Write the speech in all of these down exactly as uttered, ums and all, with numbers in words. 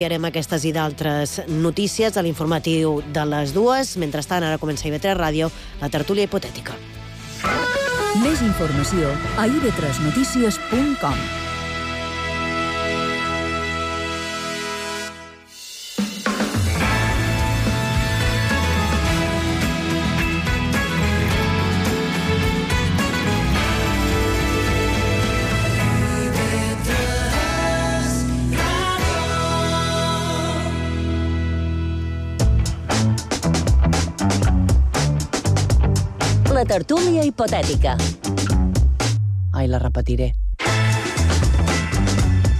Farem aquestes i d'altres notícies a l'informatiu de les dues. Mentrestant, ara comença I V tres Ràdio, la tertúlia hipotètica. Més informació a i ve tres notícies punt com. La tertúlia hipotètica. Ai, la repetiré.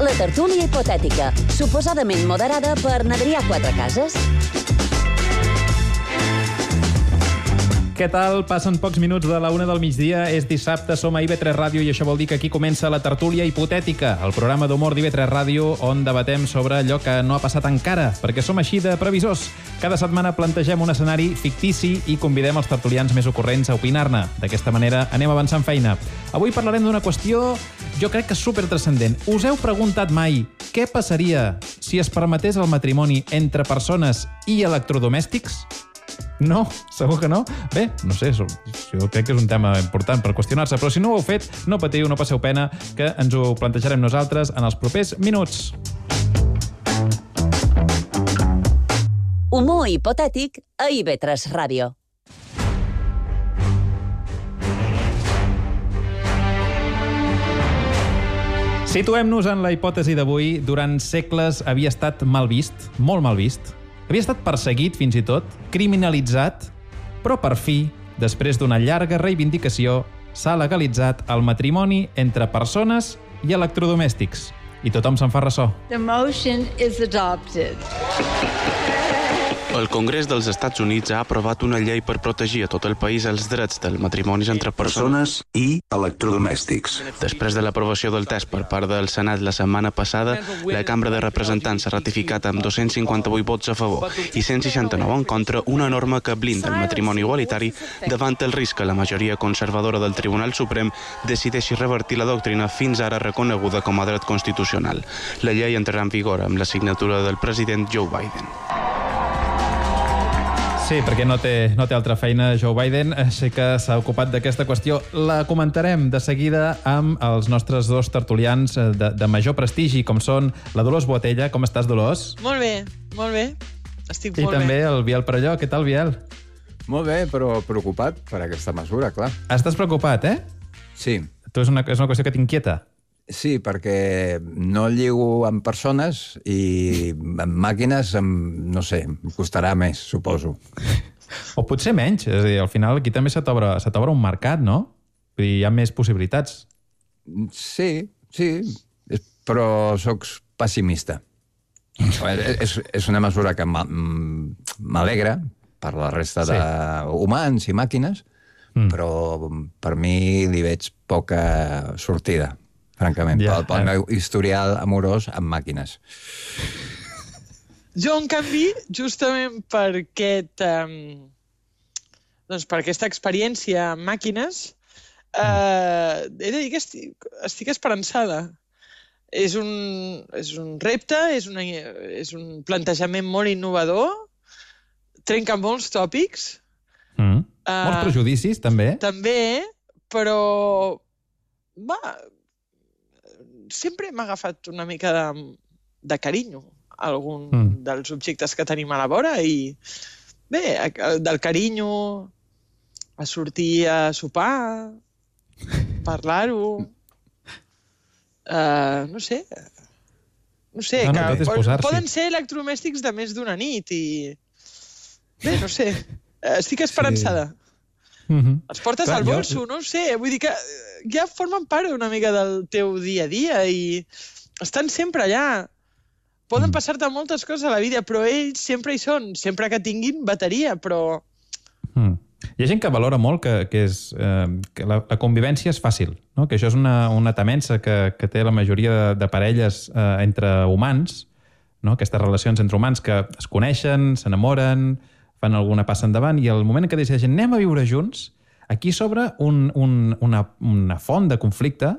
La tertúlia hipotètica, suposadament moderada per n'Adrià Quatrecases. Què tal? Passen pocs minuts de la una del migdia, és dissabte, som a I V tres Ràdio i això vol dir que aquí comença la tertúlia hipotètica, el programa d'humor d'I V tres Ràdio on debatem sobre allò que no ha passat encara, perquè som així de previsors. Cada setmana plantegem un escenari fictici i convidem els tertulians més ocorrents a opinar-ne. D'aquesta manera anem avançant feina. Avui parlarem d'una qüestió, jo crec que supertranscendent. Us heu preguntat mai què passaria si es permetés el matrimoni entre persones i electrodomèstics? No? Segur que no? Bé, no sé, jo crec que és un tema important per qüestionar-se, però si no ho heu fet, no patiu, no passeu pena, que ens ho plantejarem nosaltres en els propers minuts. Humor hipotètic a I V tres Ràdio. Situem-nos en la hipòtesi d'avui. Durant segles havia estat mal vist, molt mal vist. Havia estat perseguit, fins i tot, criminalitzat, però per fi, després d'una llarga reivindicació, s'ha legalitzat el matrimoni entre persones i electrodomèstics. I tothom se'n fa ressò. The motion is adopted. El Congrés dels Estats Units ha aprovat una llei per protegir a tot el país els drets dels matrimonis entre persones i electrodomèstics. Després de l'aprovació del text per part del Senat la setmana passada, la Cambra de Representants ha ratificat amb dos-cents cinquanta-vuit vots a favor i cent seixanta-nou en contra una norma que blinda el matrimoni igualitari davant el risc que la majoria conservadora del Tribunal Suprem decideixi revertir la doctrina fins ara reconeguda com a dret constitucional. La llei entrarà en vigor amb la signatura del president Joe Biden. Sí, perquè no té, no té altra feina Joe Biden, així que s'ha ocupat d'aquesta qüestió. La comentarem de seguida amb els nostres dos tertulians de, de major prestigi, com són la Dolors Boatella. Com estàs, Dolors? Molt bé, molt bé. Estic I molt bé. I també el Biel Perelló. Què tal, Biel? Molt bé, però preocupat per aquesta mesura, clar. Estàs preocupat, eh? Sí. Tu és una, és una qüestió que t'inquieta? Sí, perquè no lligo amb persones i amb màquines, amb, no sé, em costarà més, suposo. O potser menys. És a dir, al final aquí també se t'obre se t'obre un mercat, no? Vull dir, hi ha més possibilitats. Sí, sí, però sóc pessimista. és, és una mesura que m'alegra per la resta sí. d'humans i màquines, mm. però per mi li veig poca sortida. Francament, ja, pel, pel meu historial amorós amb màquines. Jo, en canvi, justament per, aquest, um, doncs per aquesta experiència amb màquines, uh, he de dir que estic, estic esperançada. És un, és un repte, és, una, és un plantejament molt innovador, trenca molts tòpics. Mm. Uh, molts prejudicis, també. També, però... Va, sempre m'ha agafat una mica de, de carinyo a algun mm. dels objectes que tenim a la vora i bé, del carinyo a sortir a sopar, parlar-ho, uh, no sé, no sé, no, no, que poden ser electrodomèstics de més d'una nit i bé, no sé, estic esperançada. Sí. Mm-hmm. Els portes Clar, al bolso, jo... no ho sé, vull dir que ja formen part una mica del teu dia a dia i estan sempre allà. Poden mm. passar-te moltes coses a la vida, però ells sempre hi són, sempre que tinguin bateria, però... Mm. Hi ha gent que valora molt que, que, és, eh, que la, la convivència és fàcil, no? Que això és una, una temença que, que té la majoria de, de parelles eh, entre humans, no? Aquestes relacions entre humans que es coneixen, s'enamoren, fan alguna passa endavant, i el moment en què decideixen anem a viure junts, aquí s'obre un, un, una, una font de conflicte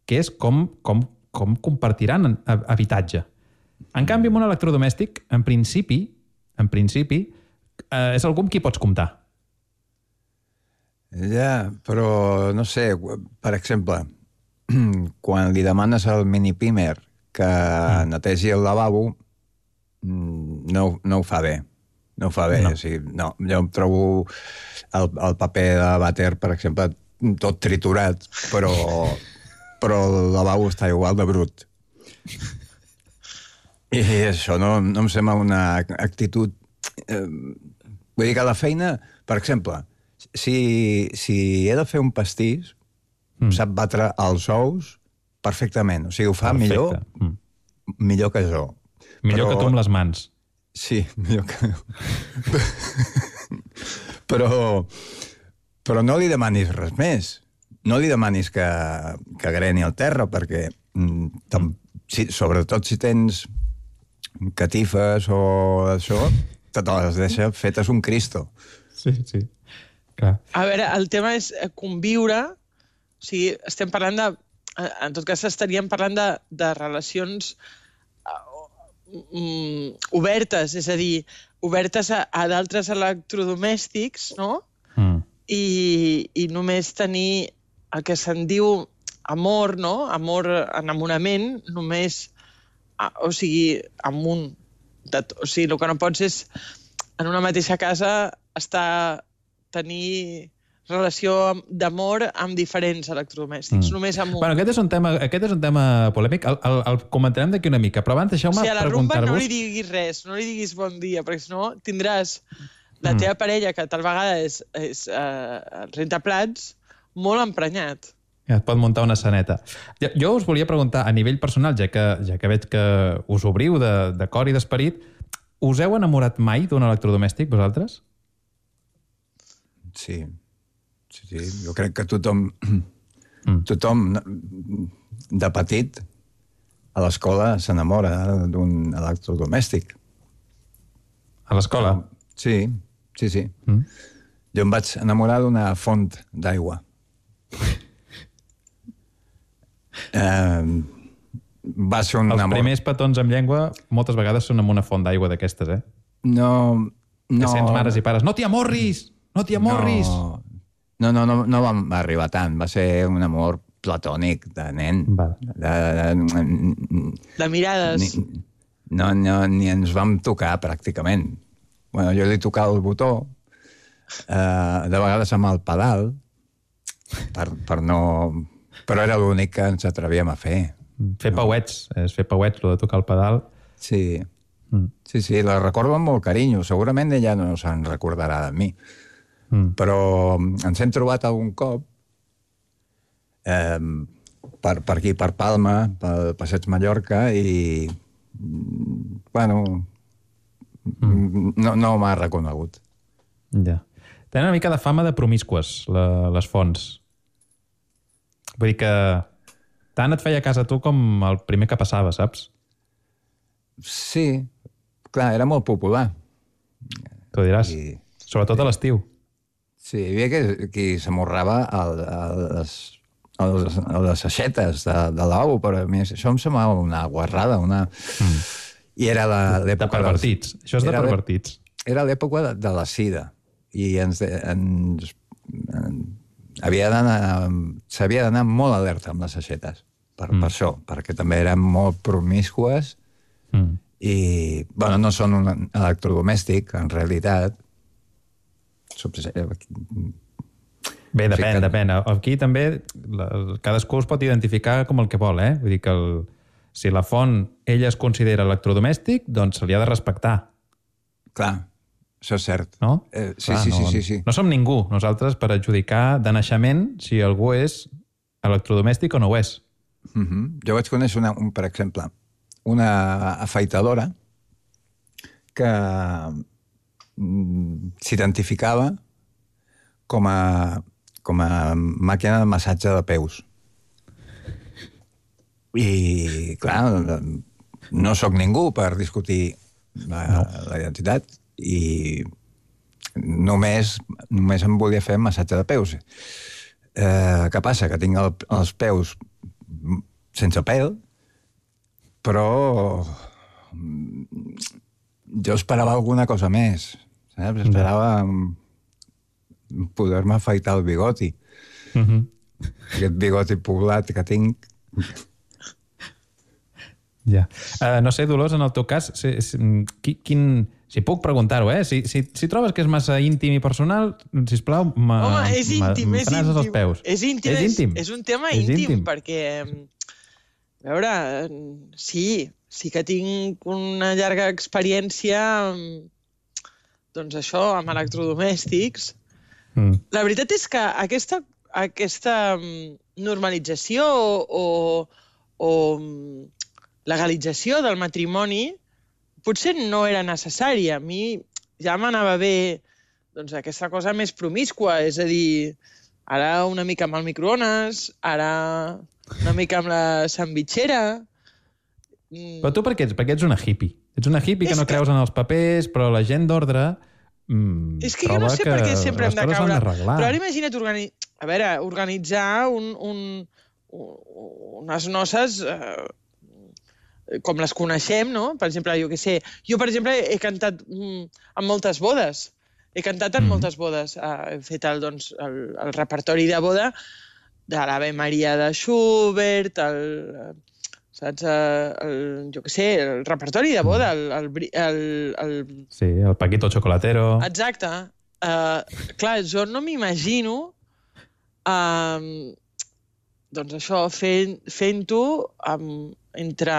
que és com, com, com compartiran habitatge. En canvi, amb un electrodomèstic, en principi, en principi, eh, és algú amb qui pots comptar. Ja, però no sé, per exemple, quan li demanes al mini-pimer que mm. netegi el lavabo, no, no ho fa bé. No ho fa bé. No. O sigui, no, jo em trobo el, el paper de vàter, per exemple, tot triturat, però, però el lavabo està igual de brut. I això no, no em sembla una actitud... Eh, vull dir que a la feina, per exemple, si, si he de fer un pastís, mm. sap batre els ous perfectament. O sigui, ho fa Perfecte. millor, mm. millor que jo. Millor però... que tu amb les mans. Sí, millor que... però, però no li demanis res més. No li demanis que, que greni el terra, perquè tam, si, sobretot si tens catifes o això, te les deixa fetes un Cristo. Sí, sí. Clar. A veure, el tema és conviure, o sigui, estem parlant de... En tot cas, estaríem parlant de, de relacions um, obertes, és a dir, obertes a, a d'altres electrodomèstics, no? Mm. I, I només tenir el que se'n diu amor, no? Amor, enamorament, només... O sigui, amb un... De, o sigui, el que no pots és, en una mateixa casa, estar... tenir relació d'amor amb diferents electrodomèstics, mm. només amb un. Bueno, aquest és un tema, aquest és un tema polèmic, el, el, el comentarem d'aquí una mica, però abans deixeu-me preguntar-vos... O sigui, a la rumba no li diguis res, no li diguis bon dia, perquè si no tindràs la teva mm. parella, que tal vegada és, és uh, rentaplats, molt emprenyat. Ja et pot muntar una saneta. Jo, jo us volia preguntar, a nivell personal, ja que, ja que veig que us obriu de, de cor i d'esperit, us heu enamorat mai d'un electrodomèstic, vosaltres? Sí. sí, sí. Jo crec que tothom, mm. tothom de petit a l'escola s'enamora d'un electrodomèstic. A l'escola? Sí, sí, sí. Mm. Jo em vaig enamorar d'una font d'aigua. eh, va ser un Els amor... primers petons amb llengua moltes vegades són amb una font d'aigua d'aquestes, eh? No, no... Que sents mares i pares, no t'hi amorris! No t'hi amorris! No, no, no, no vam arribar tant. Va ser un amor platònic de nen. Va. De, de, de mirades. Ni, no, no, ni ens vam tocar, pràcticament. Bueno, jo li tocava el botó, eh, de vegades amb el pedal, per, per no... Però era l'únic que ens atrevíem a fer. Fer no? pauets, és fer pauets, el de tocar el pedal. Sí, mm. sí, sí, la recordo amb molt carinyo. Segurament ella no se'n recordarà de mi. Mm. Però ens hem trobat algun cop eh, per, per aquí, per Palma, pel Passeig Mallorca, i bueno, mm. no, no m'ha reconegut. Ja. Tenen una mica de fama de promiscues, la, les fonts. Vull dir que tant et feia cas a tu com el primer que passava, saps? Sí, clar, era molt popular. Tu diràs, I... sobretot a l'estiu. Sí, hi havia qui, qui s'amorrava a, a, les, a, les, a les aixetes de, de lavabo, però a mi això em semblava una guarrada, una... Mm. I era l'època... De pervertits. Dels... Això és de pervertits. Era l'època de, de la sida. I ens... ens, ens havia d'anar... S'havia d'anar molt alerta amb les aixetes. Per, mm. per això, perquè també eren molt promiscues mm. i, bueno, no són un electrodomèstic, en realitat. Bé, depèn, que... depèn. Aquí també la, cadascú es pot identificar com el que vol, eh? Vull dir que el, si la font ella es considera electrodomèstic, doncs se li ha de respectar. Clar, això és cert. No? Eh, sí, Clar, sí, no, sí, sí, sí. No som ningú, nosaltres, per adjudicar de naixement si algú és electrodomèstic o no ho és. Uh-huh. Jo vaig conèixer, una, un, per exemple, una afeitadora que s'identificava com a, com a màquina de massatge de peus. I, clar, no sóc ningú per discutir la, no. la identitat i només, només em volia fer massatge de peus. Eh, què passa? Que tinc el, els peus sense pèl, però jo esperava alguna cosa més, saps? Esperava poder-me afaitar el bigoti. Uh-huh. Aquest bigoti poblat que tinc. Ja. Uh, no sé, Dolors, en el teu cas, si, si, quin, si puc preguntar-ho, eh? Si, si, si trobes que és massa íntim i personal, sisplau, me, Home, és íntim, me, és íntim. Els peus. És íntim, és, íntim. És, és un tema és íntim, íntim, perquè, a veure, sí, sí que tinc una llarga experiència, doncs això, amb electrodomèstics. Mm. La veritat és que aquesta, aquesta normalització o, o legalització del matrimoni potser no era necessària. A mi ja m'anava bé doncs, aquesta cosa més promiscua, és a dir, ara una mica amb el microones, ara una mica amb la sandvitxera. Però tu per què ets? Perquè ets una hippie. Ets una hippie que no creus en els papers, però la gent d'ordre mm, és que jo no sé per què sempre hem de caure. Però ara imagina't organi... a veure, organitzar un, un, unes noces eh, com les coneixem, no? Per exemple, jo què sé, jo, per exemple, he cantat mm, en moltes bodes. He cantat en mm. moltes bodes. Uh, he fet el, doncs, el, el repertori de boda de l'Ave Maria de Schubert, el, saps? El, jo què sé, el repertori de boda, el... el, el, el... Sí, el Paquito Chocolatero. Exacte. Uh, clar, jo no m'imagino uh, doncs això, fent, fent-ho amb entre,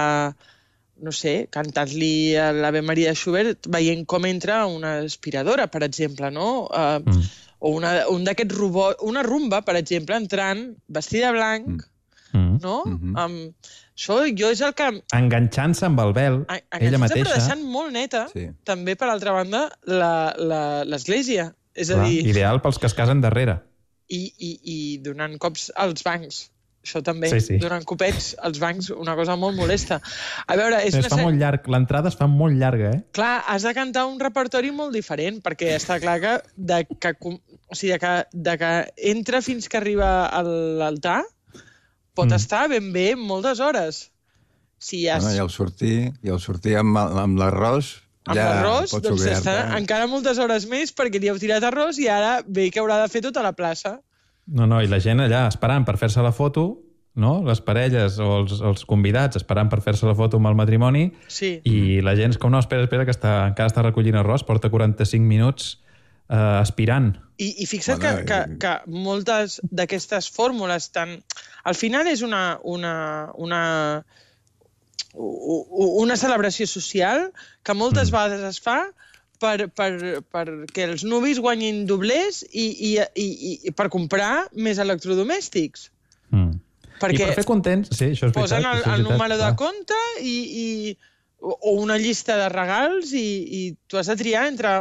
no sé, cantant-li a l'Ave Maria de Schubert, veient com entra una aspiradora, per exemple, no? Uh, mm. O una, un d'aquests robots, una rumba, per exemple, entrant, vestida de blanc, mm. no? Mm-hmm. Um, això jo és el que... Enganxant-se amb el vel, ella mateixa. Enganxant-se, però deixant molt neta, sí. també, per altra banda, l'església. És a Clar, dir... Ideal pels que es casen darrere. I, i, i donant cops als bancs. Això també, sí, sí. donant copets als bancs, una cosa molt molesta. A veure, és es una... fa molt llarg, l'entrada es fa molt llarga, eh? Clar, has de cantar un repertori molt diferent, perquè està clar que de que, o sigui, de que, de que entra fins que arriba a l'altar pot mm. estar ben bé moltes hores. Si has... bueno, I al sortir, i al sortir amb, amb l'arròs... Amb ja l'arròs, doncs està eh? encara moltes hores més perquè li heu tirat arròs i ara ve que haurà de fer tota la plaça. No, no, i la gent allà esperant per fer-se la foto, no? Les parelles o els, els convidats esperant per fer-se la foto amb el matrimoni, sí. i la gent és com, no, espera, espera, que està, encara està recollint arròs, porta quaranta-cinc minuts eh, aspirant. I, i fixa't bueno, que, que, que moltes d'aquestes fórmules tan... Al final és una, una, una, una celebració social que moltes mm. vegades es fa per, per, perquè els nuvis guanyin doblers i, i, i, i per comprar més electrodomèstics. Mm. Perquè I per fer contents... Sí, això és veritat. Posen el, el número de compte i, i, o una llista de regals i, i tu has de triar entre,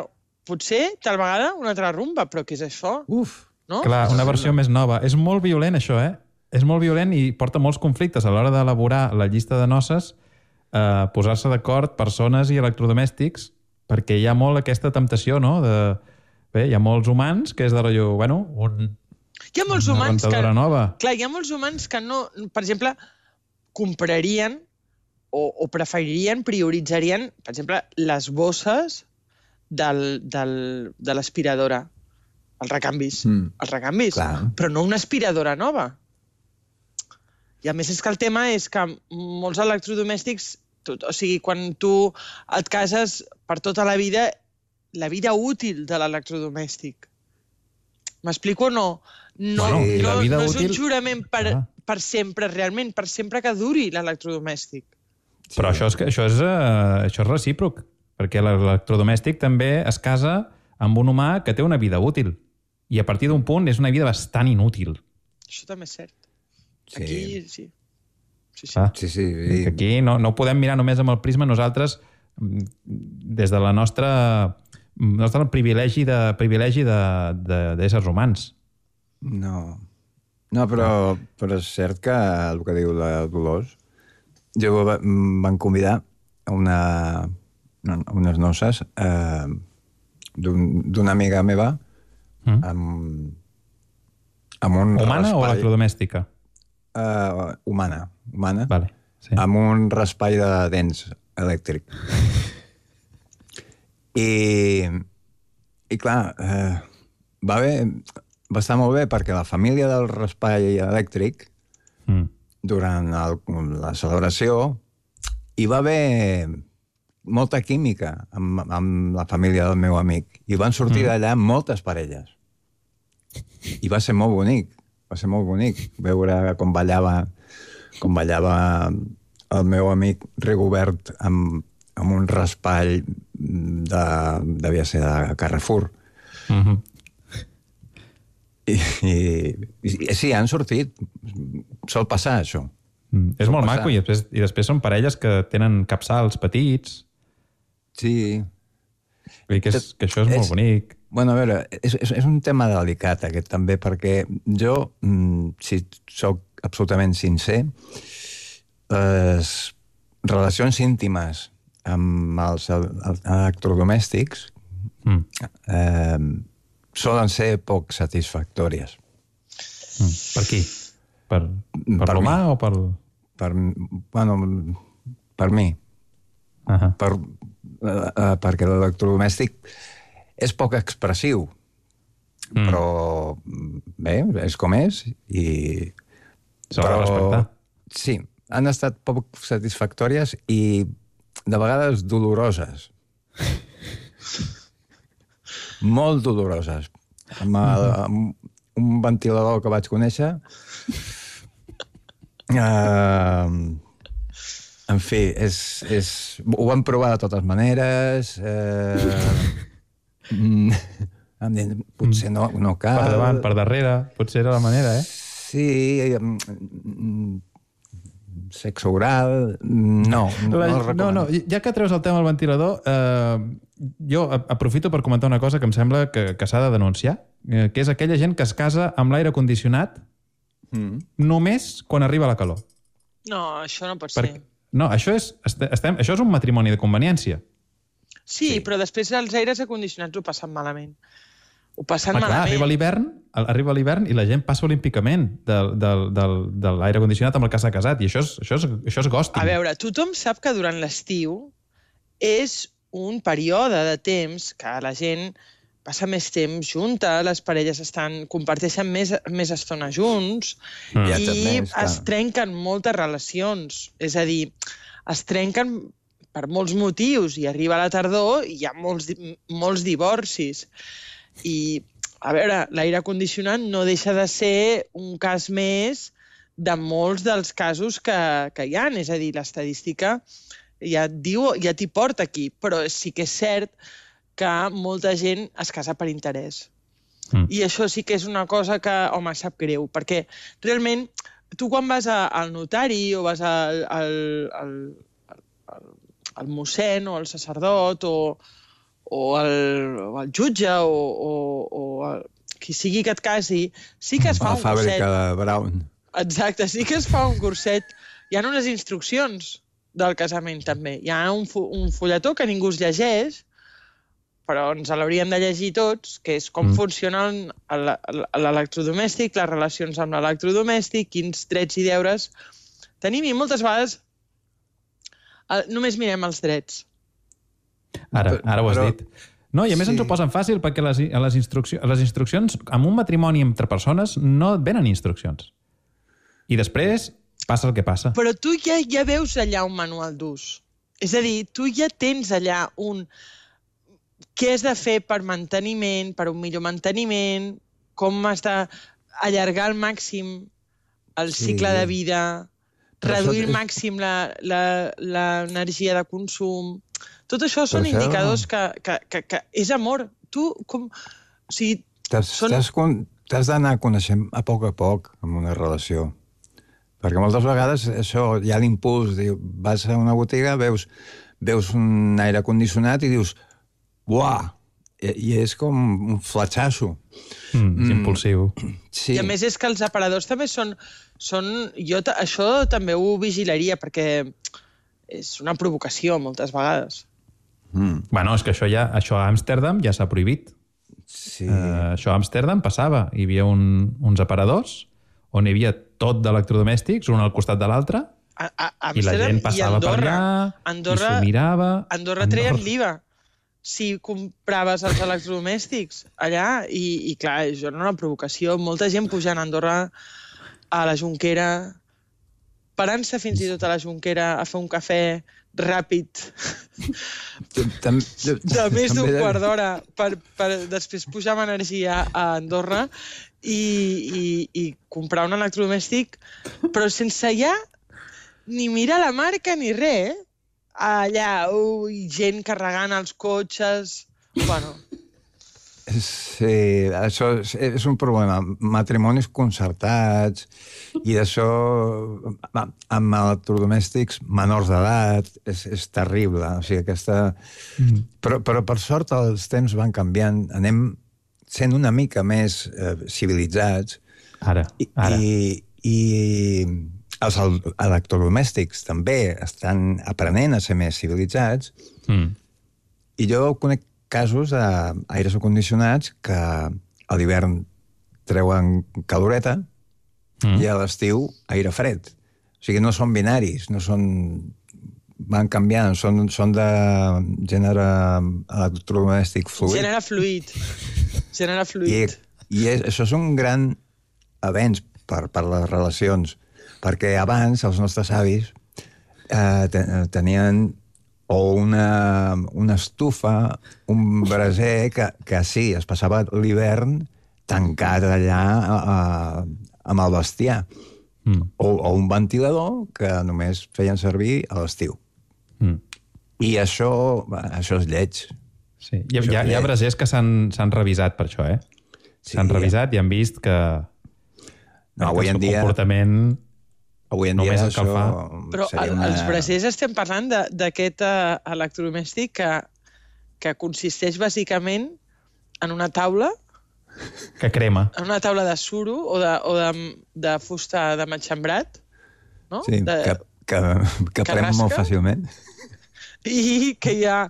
potser, tal vegada, una altra rumba. Però què és això? Uf, no? Clar, una versió més nova. És molt violent, això, eh? És molt violent i porta molts conflictes a l'hora d'elaborar la llista de noces, eh, posar-se d'acord persones i electrodomèstics, perquè hi ha molt aquesta temptació, no? De... Bé, hi ha molts humans que és de rotllo, bueno, un... Hi ha molts humans que... nova. Clar, hi ha molts humans que no, per exemple, comprarien o, o preferirien, prioritzarien, per exemple, les bosses del, del, de l'aspiradora, els recanvis, mm. els recanvis, clar. Però no una aspiradora nova. I a més és que el tema és que molts electrodomèstics, tot, o sigui, quan tu et cases per tota la vida, la vida útil de l'electrodomèstic. M'explico o no? No, bueno, no, no és útil... un jurament per, ah. per sempre, realment, per sempre que duri l'electrodomèstic. Sí. Però això és, això, és, uh, això és recíproc, perquè l'electrodomèstic també es casa amb un humà que té una vida útil. I a partir d'un punt és una vida bastant inútil. Això també és cert. Sí. Aquí, sí. Sí, sí. Ah, sí, sí. I... Aquí no, no ho podem mirar només amb el prisma. Nosaltres, des de la nostra... nostre privilegi de privilegi d'éssers humans. No. No, però, però és cert que el que diu la Dolors, jo van convidar una, unes noces eh, d'una un, amiga meva mm. amb, amb un humana raspall, o electrodomèstica? Uh, humana. humana vale, sí. Amb un raspall de dents elèctric. I, i clar, eh, va, bé, va estar molt bé perquè la família del raspall elèctric, mm. durant el, la celebració, hi va haver molta química amb, amb la família del meu amic. I van sortir mm. d'allà moltes parelles. I va ser molt bonic. Va ser molt bonic veure com ballava, com ballava el meu amic Rigobert amb, amb un raspall de, devia ser de Carrefour. Mm-hmm. I, i, i sí, han sortit. Sol passar, això. Mm. És molt passar. Maco, i després, i després són parelles que tenen capçals petits. Sí. Vull dir que, és, que això és, és molt bonic. Bueno, a veure, és, és, és un tema delicat, aquest, també, perquè jo, si sóc absolutament sincer, les relacions íntimes amb els electrodomèstics mm. eh, solen ser poc satisfactòries. Mm. Per qui? Per, per, per l'humà o per... Per, bueno, per mi. Uh-huh. Per, uh, perquè l'electrodomèstic és poc expressiu, mm. però bé, és com és i... S'ha de respectar. Sí, han estat poc satisfactòries i de vegades doloroses. Molt doloroses. Amb, el, amb un ventilador que vaig conèixer... Uh, en fi, és, és, ho vam provar de totes maneres... Uh, Mm, potser no, no cal... Per davant, per darrere, potser era la manera, eh? Sí, mm, sexe oral... No, no, la, no, no, no, ja que treus el tema del ventilador, eh, jo aprofito per comentar una cosa que em sembla que, que s'ha de denunciar, eh, que és aquella gent que es casa amb l'aire condicionat mm. només quan arriba la calor. No, això no pot per, ser. No, això és, estem, això és un matrimoni de conveniència. Sí, sí, però després els aires acondicionats ho passen malament. Ho passen ah, clar, malament. Arriba l'hivern, arriba l'hivern i la gent passa olímpicament del, del, del, de l'aire condicionat amb el que s'ha casat, i això és, això és, això és ghosting. A veure, tothom sap que durant l'estiu és un període de temps que la gent passa més temps junta, les parelles estan, comparteixen més, més estona junts mm. i més, es trenquen moltes relacions. És a dir, es trenquen per molts motius, i arriba la tardor i hi ha molts, molts divorcis. I, a veure, l'aire condicionat no deixa de ser un cas més de molts dels casos que, que hi ha. És a dir, l'estadística ja et diu, ja t'hi porta aquí, però sí que és cert que molta gent es casa per interès. Mm. I això sí que és una cosa que, home, sap greu, perquè realment tu quan vas a, al notari o vas al... al, al, al el mossèn o el sacerdot o, o, el, o el jutge o, o, o el, qui sigui que et casi, sí que es fa la un curset. La fàbrica de Brown. Exacte, sí que es fa un curset. Hi ha unes instruccions del casament, també. Hi ha un, un fulletó que ningú es llegeix, però ens l'hauríem de llegir tots, que és com mm. funciona l'electrodomèstic, les relacions amb l'electrodomèstic, quins drets i deures tenim, i moltes vegades només mirem els drets. Ara, ara ho has però, dit. No, i a més sí. ens ho posen fàcil perquè les, les, instruccions, les instruccions, amb un matrimoni entre persones, no et venen instruccions. I després passa el que passa. Però tu ja, ja veus allà un manual d'ús. És a dir, tu ja tens allà un... Què has de fer per manteniment, per un millor manteniment, com has d'allargar al màxim el sí. cicle de vida... reduir al màxim l'energia de consum. Tot això són això... indicadors que, que, que, que és amor. Tu, com... O sigui, t'has són... d'anar coneixent a poc a poc en una relació. Perquè moltes vegades això, hi ha l'impuls, vas a una botiga, veus, veus un aire condicionat i dius, uah, i, i és com un fletxasso. Mm, és mm. impulsiu. Sí. I a més és que els aparadors també són... són jo això també ho vigilaria, perquè és una provocació moltes vegades. Mm. Bueno, és que això, ja, això a Amsterdam ja s'ha prohibit. Sí. Uh, això a Amsterdam passava. Hi havia un, uns aparadors on hi havia tot d'electrodomèstics, un al costat de l'altre. A, a, a I la gent passava per allà Andorra, i s'ho mirava. Andorra treien l'I V A si compraves els electrodomèstics allà, i, i clar, això era una provocació. Molta gent pujant a Andorra, a la Jonquera, parant-se fins i tot a la Jonquera a fer un cafè ràpid de més d'un quart d'hora per, per després pujar amb energia a Andorra i, i, i comprar un electrodomèstic, però sense ja ni mirar la marca ni res, eh? Allà, ui, gent carregant els cotxes... Bueno... Sí, això és, és un problema. Matrimonis concertats i d'això amb electrodomèstics menors d'edat és, és terrible. O sigui, aquesta... Mm. Però, però per sort els temps van canviant. Anem sent una mica més eh, civilitzats. Ara, ara. I, i els electrodomèstics també estan aprenent a ser més civilitzats. Mm. I jo conec casos d'aires acondicionats que a l'hivern treuen caloreta mm. i a l'estiu aire fred. O sigui, no són binaris, no són... van canviant, són, són de gènere electrodomèstic fluid. Gènere fluid. Gènere fluid. I, i és, això és un gran avenç per, per les relacions, perquè abans els nostres avis eh, tenien o una, una estufa, un braser que, que sí, es passava l'hivern tancat allà a, amb el bestiar. Mm. O, o un ventilador que només feien servir a l'estiu. Mm. I això, això és lleig. Sí. Hi, ha, hi, ha, hi ha brasers que s'han revisat per això, eh? S'han sí, revisat i han vist que, no, avui que el en dia... comportament... Avui en dia això... Però una... els brasers estem parlant d'aquest uh, electrodomèstic que, que consisteix bàsicament en una taula... Que crema. En una taula de suro o de, o de, de fusta de matxembrat, no? Sí, de, que, que, que prem molt fàcilment. I que hi ha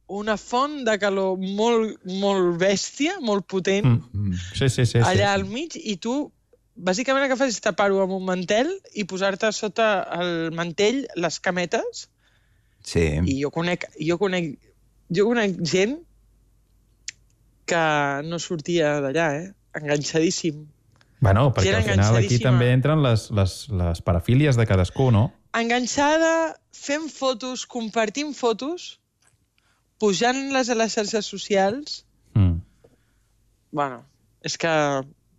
una font de calor molt, molt bèstia, molt potent, mm. sí, sí, sí, allà sí. al mig, i tu... Bàsicament el que fas és tapar-ho amb un mantel i posar-te sota el mantell les cametes. Sí. I jo conec, jo conec, jo conec gent que no sortia d'allà, eh? Enganxadíssim. Bueno, perquè al final aquí també entren les, les, les parafílies de cadascú, no? Enganxada, fent fotos, compartint fotos, pujant-les a les xarxes socials. Mm. Bueno, és que...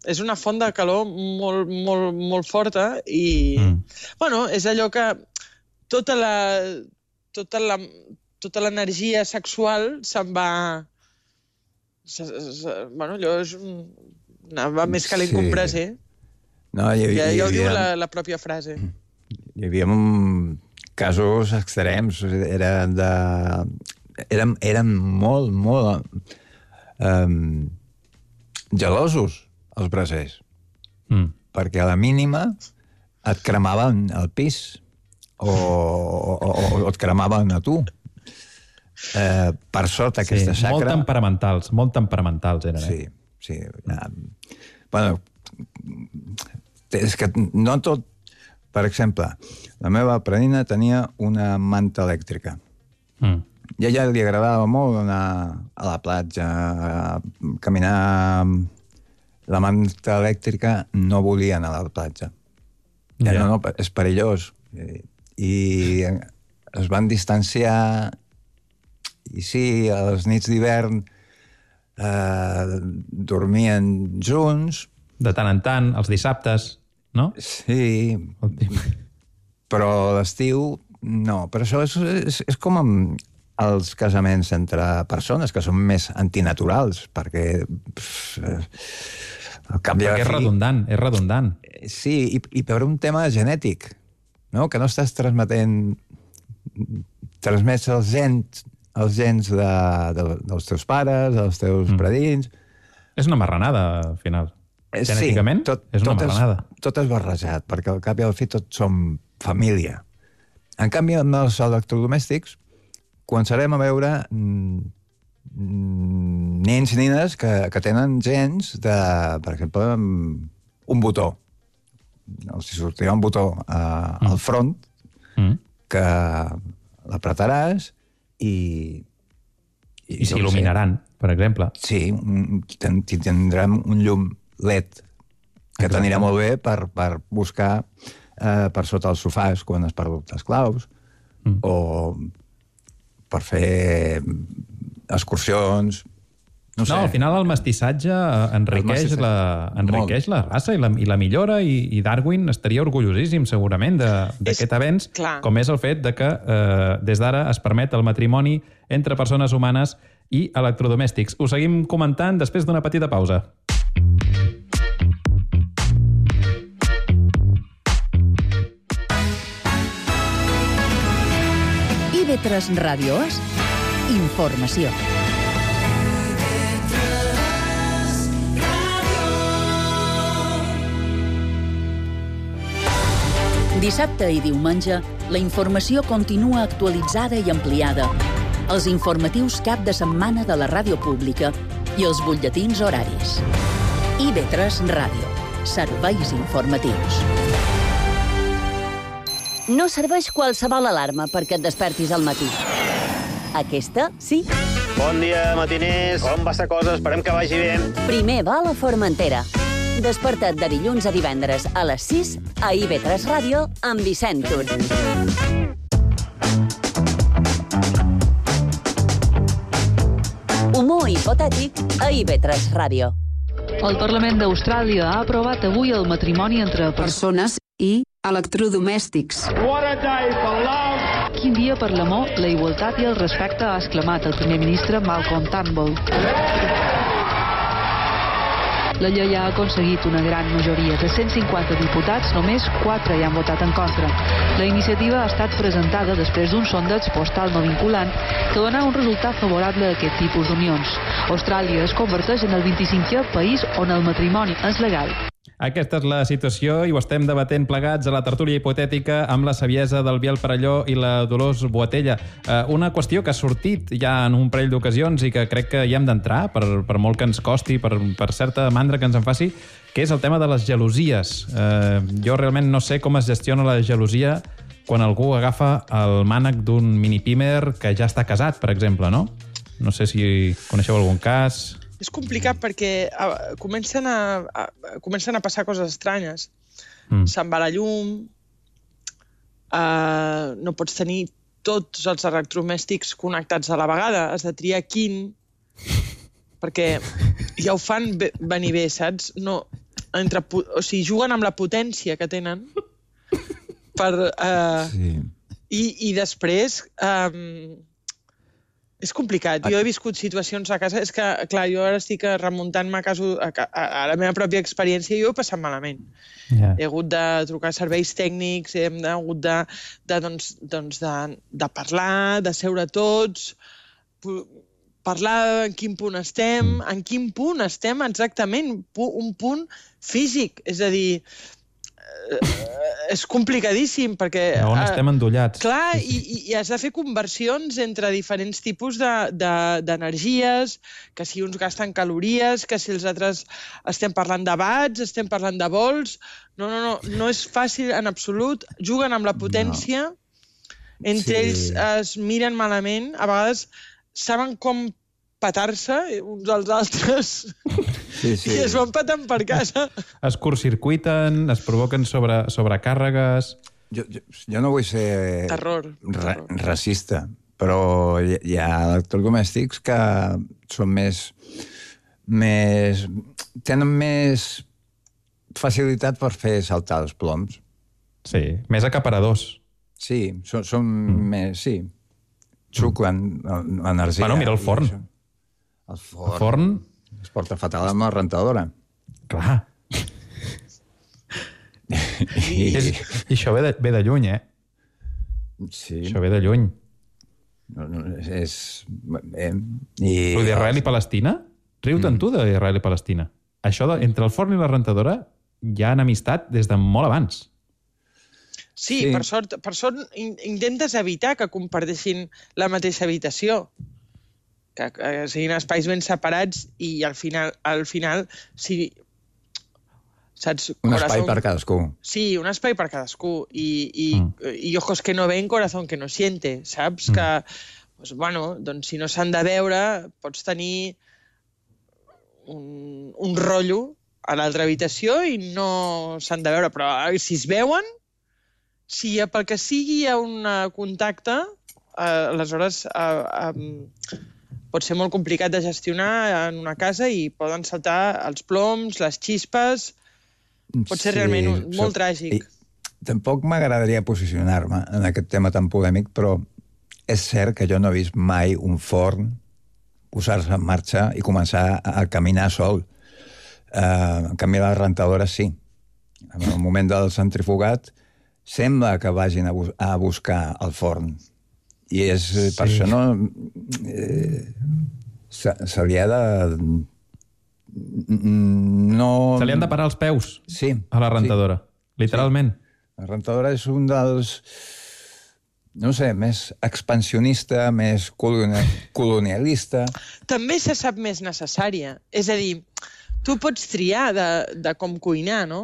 és una font de calor molt, molt, molt forta i, mm. bueno, és allò que tota la, tota la, tota l'energia sexual se'n va... Se, se, bueno, allò és... va més calent sí. que un braser. No, hi, hi, ja, ja ho hi, diu hi, la, la pròpia frase. Hi havia casos extrems, eren de... Eren, eren molt, molt um, gelosos, els brasers. Mm. Perquè a la mínima et cremaven el pis o, o, o, o et cremaven a tu. Eh, per sort, aquesta sí, xacra... Molt temperamentals, molt temperamentals eren, sí, eh? Sí, sí. Bueno, és que no tot... Per exemple, la meva predina tenia una manta elèctrica. Mm. I a ella li agradava molt anar a la platja, a caminar... La manta elèctrica no volia anar a la platja. Ja, yeah. No, no, és perillós. I es van distanciar i sí, a les nits d'hivern eh, dormien junts. De tant en tant, els dissabtes, no? Sí, però a l'estiu no. Però això és, és, és com amb els casaments entre persones, que són més antinaturals, perquè... Pff, perquè és redundant, és redundant. Sí, i, i per un tema genètic, no? Que no estàs transmetent... Transmets els gens, els gens de, de, dels teus pares, dels teus mm. predins... És una marranada, al final. Genèticament, sí, tot, és una tot marranada. És, tot és barrejat, perquè al cap i al fi tots som família. En canvi, amb els electrodomèstics, començarem a veure... Mm, nens i nines que, que tenen gens de, per exemple, un botó. Els sortirà un botó a, mm. al front mm. que l'apretaràs i... I, I s'il·luminaran, per exemple. Sí, ten, tindrem un llum L E D que t'anirà molt bé per, per buscar eh, per sota els sofàs quan has perdut les claus, mm. o per fer excursions. No, sé. No, al final el mestissatge enriqueix, el mestissatge. La, enriqueix la raça i la, i la millora, i, i Darwin estaria orgullosíssim segurament d'aquest avenç, clar. Com és el fet de que eh, des d'ara es permet el matrimoni entre persones humanes i electrodomèstics. Ho seguim comentant després d'una petita pausa. I V tres Ràdio és informació. Dissabte i diumenge, la informació continua actualitzada i ampliada. Els informatius cap de setmana de la ràdio pública i els butlletins horaris. I V tres Ràdio. Serveis informatius. No serveix qualsevol alarma perquè et despertis al matí. Aquesta, sí. Bon dia, matiners. Com va la cosa? Esperem que vagi bé. Primer va a la Formentera. Desperta't de dilluns a divendres a les sis a I V tres Ràdio amb Vicent Tur. Humor hipotètic a I V tres Ràdio. El Parlament d'Austràlia ha aprovat avui el matrimoni entre persones i electrodomèstics. What a day for love! Quin dia per l'amor, la igualtat i el respecte, ha exclamat el primer ministre Malcolm Turnbull. La llei ha aconseguit una gran majoria. De cent cinquanta diputats, només quatre hi han votat en contra. La iniciativa ha estat presentada després d'un sondeig postal no vinculant que dona un resultat favorable a aquest tipus d'unions. Austràlia es converteix en el vint-i-cinquè país on el matrimoni és legal. Aquesta és la situació i ho estem debatent plegats a la tertúlia hipotètica amb la saviesa del Biel Parelló i la Dolors Boatella. Eh, una qüestió que ha sortit ja en un parell d'ocasions i que crec que hi hem d'entrar, per, per molt que ens costi, per, per certa mandra que ens en faci, que és el tema de les gelosies. Eh, jo realment no sé com es gestiona la gelosia quan algú agafa el mànec d'un mini-pimer que ja està casat, per exemple, no? No sé si coneixeu algun cas... És complicat perquè uh, comencen, a, a, comencen a passar coses estranyes. Mm. Se'n va la llum, uh, no pots tenir tots els electrodomèstics connectats a la vegada, has de triar quin, perquè ja ho fan bé, venir bé, saps? No, entre, o sigui, juguen amb la potència que tenen per... Uh, sí. i, I després... Um, És complicat. Jo he viscut situacions a casa... És que, clar, jo ara estic remuntant-me a, caso, a, a, a la meva pròpia experiència i jo he passat malament. Yeah. He hagut de trucar a serveis tècnics, he hagut de, de, doncs, doncs de, de parlar, de seure tots, parlar en quin punt estem, en quin punt estem exactament, un punt físic. És a dir... és complicadíssim perquè... On estem endollats. Clar, i, i has de fer conversions entre diferents tipus d'energies, de, de, que si uns gasten calories, que si els altres estem parlant de watts, estem parlant de volts... No, no, no, no és fàcil en absolut. Juguen amb la potència, no. Entre sí. ells es miren malament, a vegades saben com petar-se uns als altres sí, sí. I es van petant per casa. Es curtcircuiten, es provoquen sobre, sobrecàrregues... Jo, jo, jo no vull ser terror, ra terror. racista, però hi, hi ha electrodomèstics que són més, més... tenen més facilitat per fer saltar els ploms. Sí, més acaparadors. Sí, són, són mm. més... sí, xuclen l'energia. Bueno, mira el forn. El forn, el forn es porta fatal amb la rentadora. Clar. I, és, I això ve de, ve de lluny, eh? Sí. Això ve de lluny. No, no, és... Eh, i... Però d'Israel i Palestina? Riu-te'n mm. tu d'Israel i Palestina. Això de, entre el forn i la rentadora hi ha enemistat des de molt abans. Sí, sí. Per sort, per sort intentes evitar que comparteixin la mateixa habitació. Que, que siguin espais ben separats i al final, al final si, saps? Un corazón... espai per cadascú. Sí, un espai per cadascú. I, i, mm. i ojos que no ven, corazón que no siente, saps? Mm. Que, pues, bueno, doncs si no s'han de veure, pots tenir un, un rotllo a l'altra habitació i no s'han de veure, però si es veuen, si pel que sigui hi ha un contacte, eh, aleshores eh, eh, pot ser molt complicat de gestionar en una casa i poden saltar els ploms, les xispes, pot ser sí, realment un, molt so, tràgic. I, tampoc m'agradaria posicionar-me en aquest tema tan polèmic, però és cert que jo no he vist mai un forn posar-se en marxa i començar a caminar sol. Uh, en canvi, les rentadores sí. En el moment del centrifugat sembla que vagin a, bus a buscar el forn. I és, sí. per això no... Eh, se, se li ha de... No... Se li han de parar els peus sí, a la rentadora, sí. literalment. Sí. La rentadora és un dels... no sé, més expansionista, més colonialista. També se sap més necessària. És a dir, tu pots triar de, de com cuinar, no?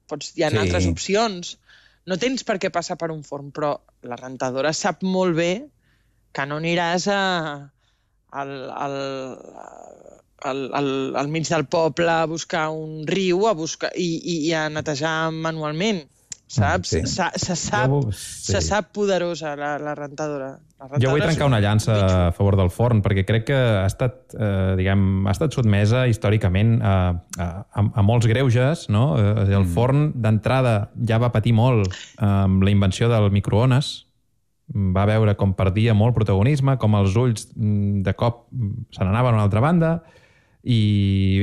Pots, hi ha sí. altres opcions. No tens per què passar per un forn, però la rentadora sap molt bé que no aniràs a, al, al, al, al, al mig del poble a buscar un riu a buscar, i, i, i a netejar manualment. Saps? Sí. Se, se, sap, jo, sí. se sap poderosa la, la rentadora. La rentadora. Jo vull trencar una llança a favor del forn, perquè crec que ha estat, eh, diguem, ha estat sotmesa històricament a, a, a molts greuges, no? El mm. forn, d'entrada, ja va patir molt amb la invenció del microones. Va veure com perdia molt protagonisme, com els ulls de cop se n'anaven a una altra banda. I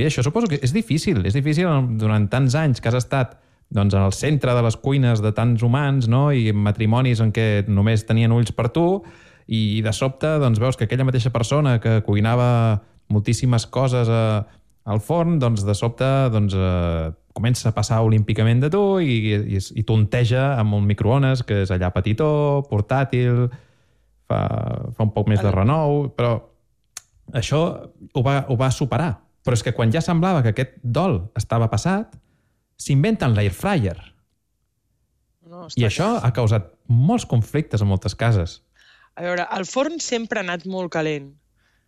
bé, això suposo que és difícil. És difícil durant tants anys que has estat doncs, en el centre de les cuines de tants humans, no? I matrimonis en què només tenien ulls per tu, i de sobte doncs, veus que aquella mateixa persona que cuinava moltíssimes coses a, al forn, doncs, de sobte doncs, eh, comença a passar olímpicament de tu i, i, i tonteja amb un microones que és allà petitó, portàtil, fa, fa un poc més de renou, però això ho va, ho va superar. Però és que quan ja semblava que aquest dol estava passat, s'inventen l'air fryer. No, I això ha causat molts conflictes en moltes cases. A veure, el forn sempre ha anat molt calent.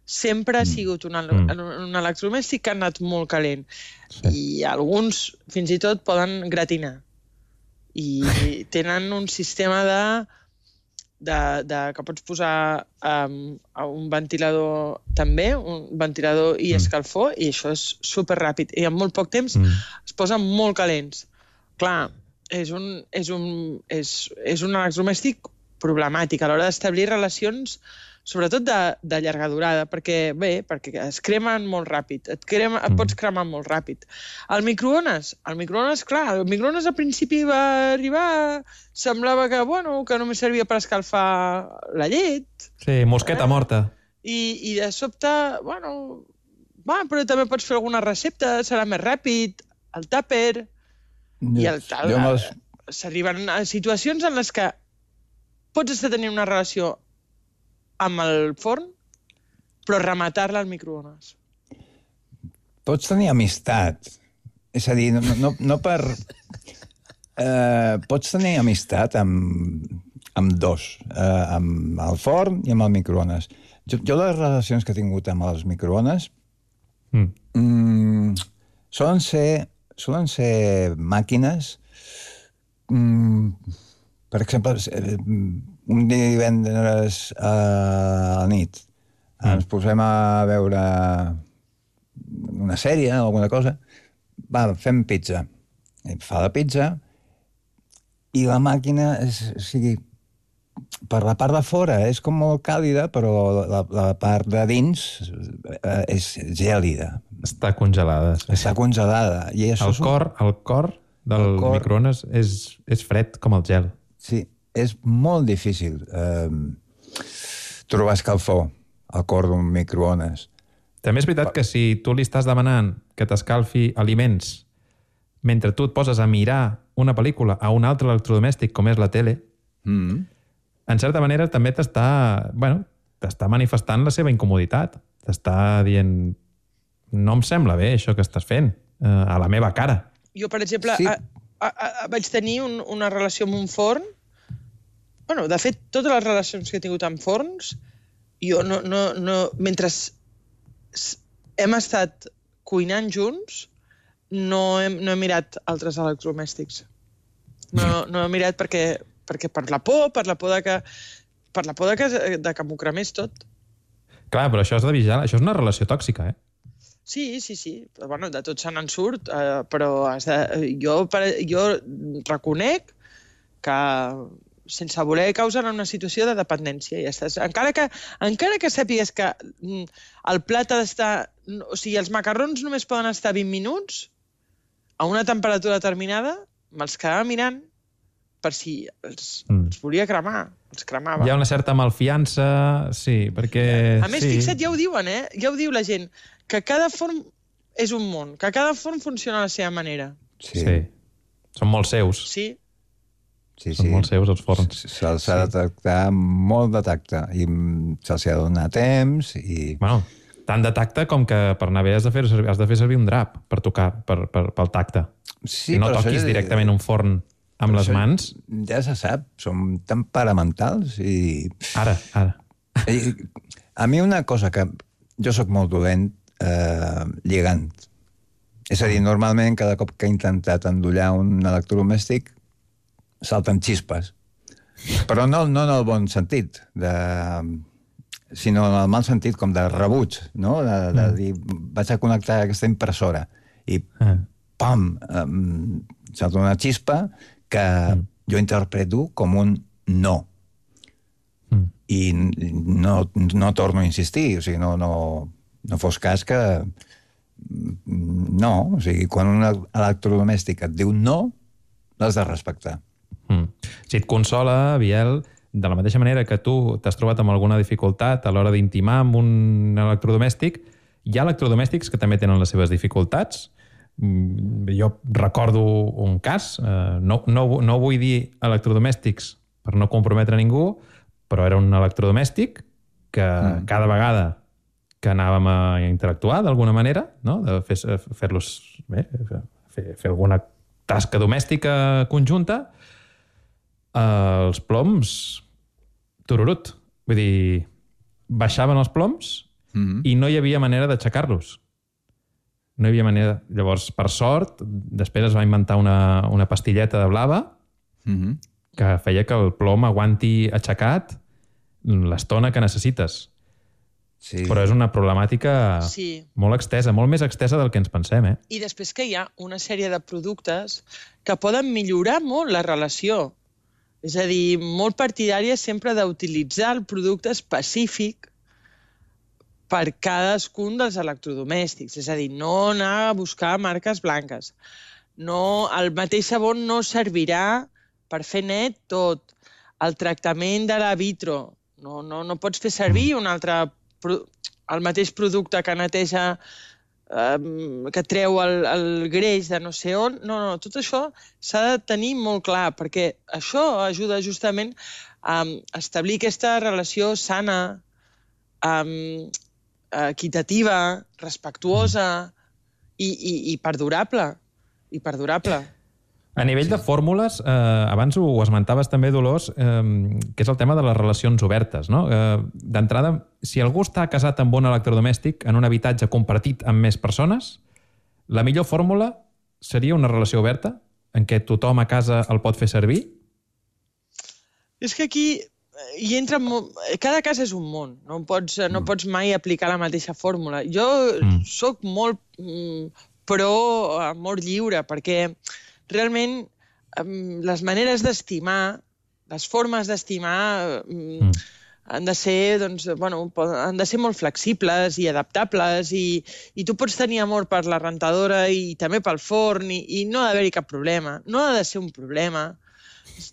Sempre ha sigut un, mm. un electrodomèstic que ha anat molt calent. Sí. I alguns, fins i tot, poden gratinar. I tenen un sistema de, de, de que pots posar um, un ventilador també, un ventilador i escalfor, mm. i això és superràpid. I en molt poc temps mm. es posen molt calents. Clar, és un, és un, és, és un electrodomèstic problemàtic a l'hora d'establir relacions, sobretot de, de llarga durada, perquè, bé, perquè es cremen molt ràpid, et, crema, et pots cremar molt ràpid. El microones, el microones, clar, el microones al principi va arribar, semblava que, bueno, que només servia per escalfar la llet. Sí, mosqueta eh? morta. I, I de sobte, bueno, va, però també pots fer alguna recepta, serà més ràpid, el tàper, i el tal. Els... S'arriben a situacions en les que pots estar tenint una relació amb el forn, però rematar-la al microones. Pots tenir amistat. És a dir, no, no, no per... Eh, pots tenir amistat amb, amb dos, eh, amb el forn i amb el microones. Jo, jo les relacions que he tingut amb els microones mm. Mm, solen ser, solen ser màquines... Mm, per exemple, un divendres a la nit mm. ens posem a veure una sèrie o alguna cosa, va, fem pizza. Fa la pizza i la màquina, és, o sigui, per la part de fora és com molt càlida, però la, la part de dins és gèlida. Està congelada. Sí. Està congelada. I això el, cor, el cor del el cor... microones és, és fred com el gel. Sí, és molt difícil eh, trobar escalfor al cor d'un microones. També és veritat que si tu li estàs demanant que t'escalfi aliments mentre tu et poses a mirar una pel·lícula a un altre electrodomèstic com és la tele, mm. en certa manera també t'està, bueno, t'està manifestant la seva incomoditat. T'està dient, no em sembla bé això que estàs fent, eh, a la meva cara. Jo, per exemple, sí. a, a, a, vaig tenir un, una relació amb un forn. Bueno, de fet, totes les relacions que he tingut amb forns, jo no... no, no mentre hem estat cuinant junts, no he, no he mirat altres electrodomèstics. No, no he mirat perquè, perquè per la por, per la por de que, per la por de que, de que m'ho cremés tot. Clar, però això és de vigilar, això és una relació tòxica, eh? Sí, sí, sí. Bueno, de tot se n'en surt, eh, però has de, jo, per, jo reconec que sense voler causar una situació de dependència. Ja estàs. Encara que, encara que sàpigues que el plat ha d'estar... O sigui, els macarrons només poden estar vint minuts a una temperatura determinada, me'ls quedava mirant per si els, mm. els volia cremar, els cremava. Hi ha una certa malfiança, sí, perquè... A més, sí. Fixa't, ja ho diuen, eh? Ja ho diu la gent, que cada forn és un món, que cada forn funciona a la seva manera. Sí. sí. Són molt seus. Sí. Sí, Són sí. molt seus, els forns. Se'ls ha de tractar molt de tacte i se'ls ha de donar temps i... Bueno, tant de tacte com que per anar bé has de fer, has de fer servir un drap per tocar, per, per, pel tacte. Sí, I no toquis ja... directament un forn amb les mans. Ja se sap, som temperamentals i... Ara, ara. I, a mi una cosa que... Jo sóc molt dolent eh, lligant. És a dir, normalment cada cop que he intentat endollar un electrodomèstic salten xispes. Però no, no en el bon sentit, de... sinó en el mal sentit, com de rebuig, no? De, de dir, vaig a connectar aquesta impressora i pam, um, salta una xispa que mm. jo interpreto com un no. Mm. I no, no torno a insistir, o sigui, no, no, no fos cas que... No, o sigui, quan un electrodomèstic et diu no, l'has de respectar. Mm. Si et consola, Biel, de la mateixa manera que tu t'has trobat amb alguna dificultat a l'hora d'intimar amb un electrodomèstic, hi ha electrodomèstics que també tenen les seves dificultats. Jo recordo un cas, no, no, no vull dir electrodomèstics per no comprometre ningú, però era un electrodomèstic que mm. cada vegada que anàvem a interactuar d'alguna manera, no? De fer, fer-los bé, fer, fer alguna tasca domèstica conjunta, els ploms tururut. Vull dir, baixaven els ploms mm-hmm. i no hi havia manera d'aixecar-los. No hi havia manera. Llavors, per sort, després es va inventar una, una pastilleta de blava mm-hmm. que feia que el plom aguanti aixecat l'estona que necessites. Sí. Però és una problemàtica sí. molt extesa, molt més extesa del que ens pensem, eh? I després que hi ha una sèrie de productes que poden millorar molt la relació. És a dir, molt partidària sempre d'utilitzar el producte específic per cadascun dels electrodomèstics. És a dir, no anar a buscar marques blanques. No, el mateix sabó no servirà per fer net tot. El tractament de la vitro. No, no, no pots fer servir un altre... el mateix producte que neteja, eh, que treu el, el greix de no sé on. No, no, tot això s'ha de tenir molt clar, perquè això ajuda justament a establir aquesta relació sana, eh, equitativa, respectuosa i, i, i perdurable. I perdurable. A nivell sí. de fórmules, eh, abans ho esmentaves també, Dolors, eh, que és el tema de les relacions obertes, no? Eh, D'entrada, si algú està casat amb un electrodomèstic en un habitatge compartit amb més persones, la millor fórmula seria una relació oberta en què tothom a casa el pot fer servir? És que aquí hi entra... Cada casa és un món. No pots, no pots mai aplicar la mateixa fórmula. Jo mm. sóc molt mm, pro amor lliure, perquè realment les maneres d'estimar, les formes d'estimar mm. han de ser, doncs, bueno, han de ser molt flexibles i adaptables i, i tu pots tenir amor per la rentadora i també pel forn i, i no ha d'haver-hi cap problema. No ha de ser un problema.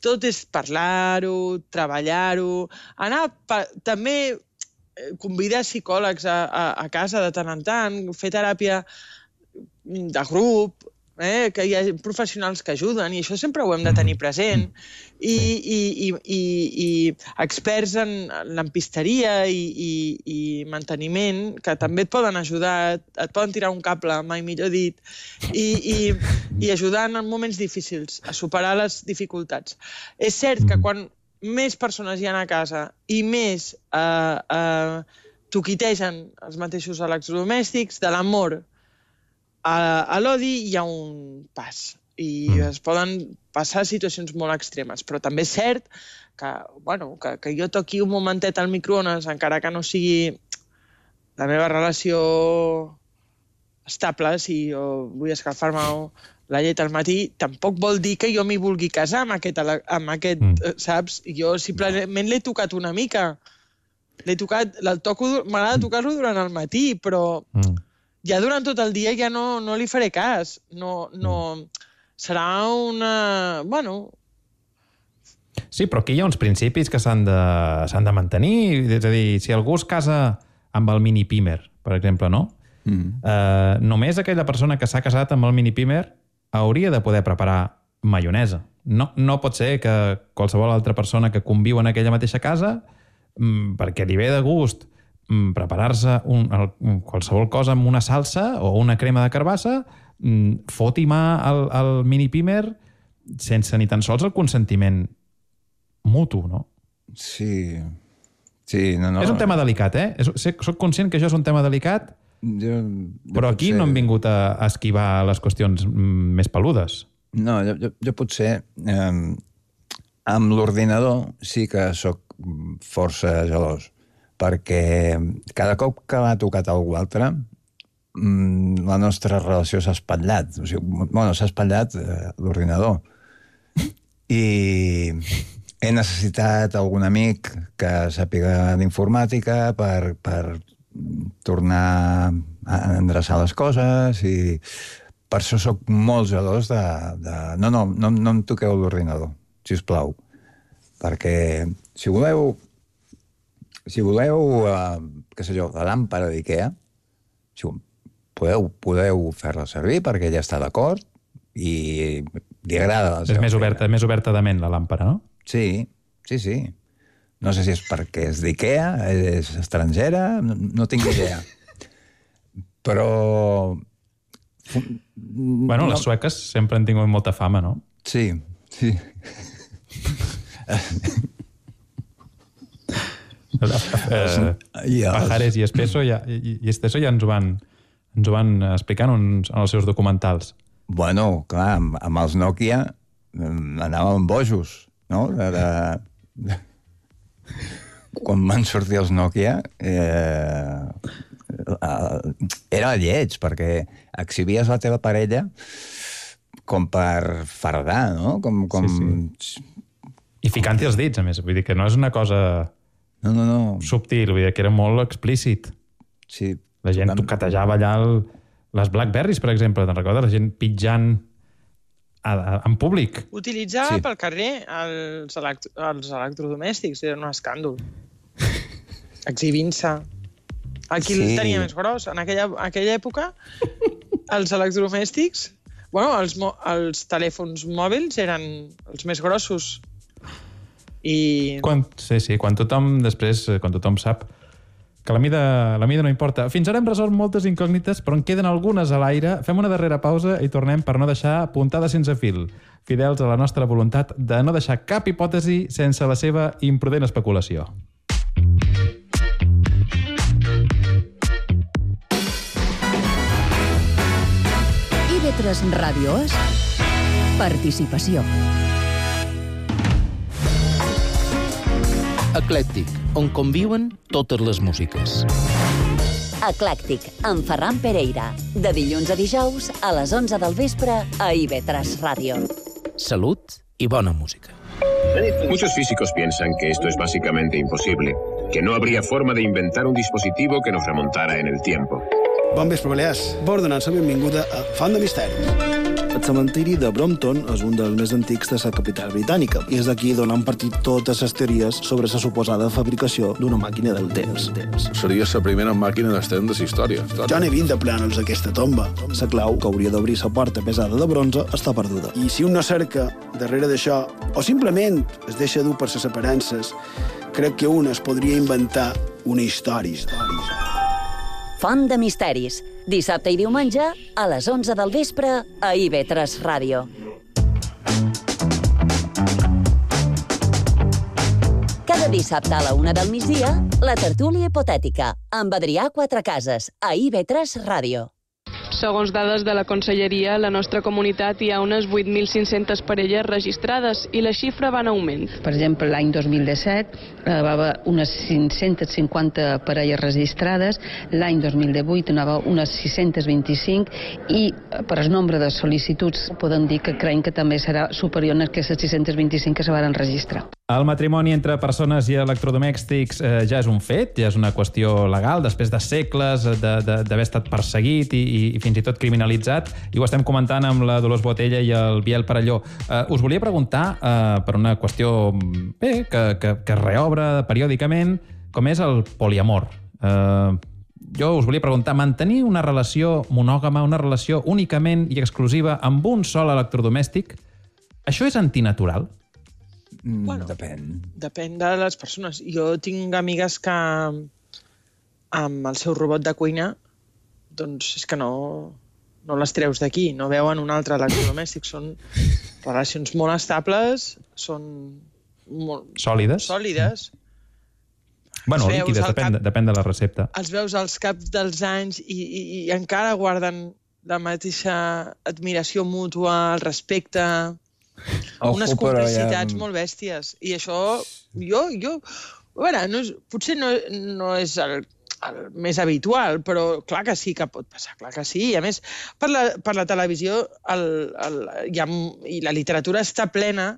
Tot és parlar-ho, treballar-ho, anar pa, també convidar psicòlegs a, a, a casa de tant en tant, fer teràpia de grup, eh? Que hi ha professionals que ajuden, i això sempre ho hem de tenir present. I, i, i, i, i experts en lampisteria i, i, i manteniment, que també et poden ajudar, et poden tirar un cable, mai millor dit, i, i, i ajudar en moments difícils a superar les dificultats. És cert que quan més persones hi ha a casa i més eh, eh, toquitegen els mateixos electrodomèstics, de l'amor a, a l'odi hi ha un pas. I mm. es poden passar situacions molt extremes, però també és cert que, bueno, que, que jo toqui un momentet al microones, encara que no sigui la meva relació estable, si jo vull escalfar-me la llet al matí, tampoc vol dir que jo m'hi vulgui casar amb aquest, amb aquest mm. saps? Jo simplement l'he tocat una mica. L'he tocat, el toco, m'agrada tocar-lo durant el matí, però mm. ja durant tot el dia ja no, no li faré cas. No... no serà una... bueno... Sí, però aquí hi ha uns principis que s'han de, s'han de mantenir. És a dir, si algú es casa amb el mini pimer, per exemple, no? Mm. Eh, només aquella persona que s'ha casat amb el mini pimer hauria de poder preparar maionesa. No, no pot ser que qualsevol altra persona que conviu en aquella mateixa casa, mm, perquè li ve de gust mm, preparar-se un, el, qualsevol cosa amb una salsa o una crema de carbassa, foti mà al, al mini pimer sense ni tan sols el consentiment mutu, no? Sí. Sí, no, no. És un tema delicat, eh? Soc conscient que això és un tema delicat, jo, jo però aquí potser... no hem vingut a esquivar les qüestions més peludes. No, jo, jo, jo potser eh, amb l'ordinador sí que sóc força gelós, perquè cada cop que m'ha tocat algú altre la nostra relació s'ha espatllat. O sigui, bueno, s'ha espatllat eh, l'ordinador. I he necessitat algun amic que sàpiga d'informàtica per, per tornar a endreçar les coses i per això sóc molt gelós de... de... No, no, no, no em toqueu l'ordinador, sisplau. Perquè si voleu... Si voleu, eh, què sé jo, la làmpara d'Ikea, si podeu, podeu fer-la servir perquè ja està d'acord i li agrada la seva És més oberta, més oberta de ment, la làmpara, no? Sí, sí, sí. No sé si és perquè és d'Ikea, és estrangera, no, no tinc idea. Però... Bueno, les sueques sempre han tingut molta fama, no? Sí, sí. eh, Pajares i Espeso ja, i, i Esteso ja ens ho van, ens ho van explicar en, en els seus documentals. Bueno, clar, amb, amb els Nokia anàvem bojos, no? De, de... Quan van sortir els Nokia eh, era lleig, perquè exhibies la teva parella com per fardar, no? Com, com... Sí, sí. I ficant-hi els dits, a més. Vull dir que no és una cosa no, no, no. subtil, vull dir que era molt explícit. Sí. La gent vam... toquetejava allà el... les Blackberries, per exemple, te'n recordes? La gent pitjant a, a, en públic. Utilitzar sí. pel carrer els, elect... els electrodomèstics, era un escàndol. Exhibint-se. Aquí sí. el tenia més gros. En aquella, aquella època, els electrodomèstics, bueno, els, mo... els telèfons mòbils eren els més grossos. I... Quan, sí, sí, quan tothom, després, quan tothom sap que la mida, la mida no importa. Fins ara hem resolt moltes incògnites, però en queden algunes a l'aire. Fem una darrera pausa i tornem per no deixar puntada sense fil, fidels a la nostra voluntat de no deixar cap hipòtesi sense la seva imprudent especulació. I ve tres Ràdio és participació. Eclèctic, on conviuen totes les músiques. Eclèctic, amb Ferran Pereira. De dilluns a dijous, a les onze del vespre, a I V tres Ràdio. Salut y buena música. Muchos físicos piensan que esto es básicamente imposible, que no habría forma de inventar un dispositivo que nos remontara en el tiempo. Bon vespre, Balears. Vos donant la benvinguda a Font de Misteris. El cementiri de Brompton és un dels més antics de la capital britànica i és d'aquí d'on han partit totes les teories sobre la suposada fabricació d'una màquina del temps. Seria la primera màquina del temps de la història. Ja n'he vint de plànols d'aquesta tomba. La clau que hauria d'obrir la porta pesada de bronze està perduda. I si un no cerca darrere d'això, o simplement es deixa dur per les aparences, crec que un es podria inventar una història. Font de misteris. Dissabte i diumenge a les onze del vespre a I V tres Ràdio. Cada dissabte a la una del migdia, la tertúlia hipotètica amb Adrià Quatrecases a I V tres Ràdio. Segons dades de la Conselleria, a la nostra comunitat hi ha unes vuit mil cinc-centes parelles registrades i la xifra va en augment. Per exemple, l'any dos mil disset eh, va haver unes cinc-centes cinquanta parelles registrades, l'any dos mil divuit n'hi va unes sis-centes vint-i-cinc i per el nombre de sol·licituds podem dir que creiem que també serà superior a aquestes sis-centes vint-i-cinc que se van registrar. El matrimoni entre persones i electrodomèstics eh, ja és un fet, ja és una qüestió legal, després de segles d'haver estat perseguit i, i, i fins i tot criminalitzat, i ho estem comentant amb la Dolors Botella i el Biel Parelló. Eh, us volia preguntar, eh, per una qüestió bé, que, que, que es reobre periòdicament, com és el poliamor. Eh, jo us volia preguntar, mantenir una relació monògama, una relació únicament i exclusiva amb un sol electrodomèstic, això és antinatural? Mm, bueno, depèn. Depèn de les persones. Jo tinc amigues que amb el seu robot de cuina doncs és que no, no les treus d'aquí, no veuen un altre electrodomèstic. Són relacions molt estables, són molt... Sòlides? Sòlides. Bueno, líquides, depèn, cap, depèn de la recepta. Els veus als caps dels anys i, i, i encara guarden la mateixa admiració mútua, el respecte... Ojo, unes complicitats ha... molt bèsties. I això, jo... jo a veure, no és, potser no, no és el, el més habitual, però clar que sí que pot passar, clar que sí. I a més, per la, per la televisió el, el, hi ha, i la literatura està plena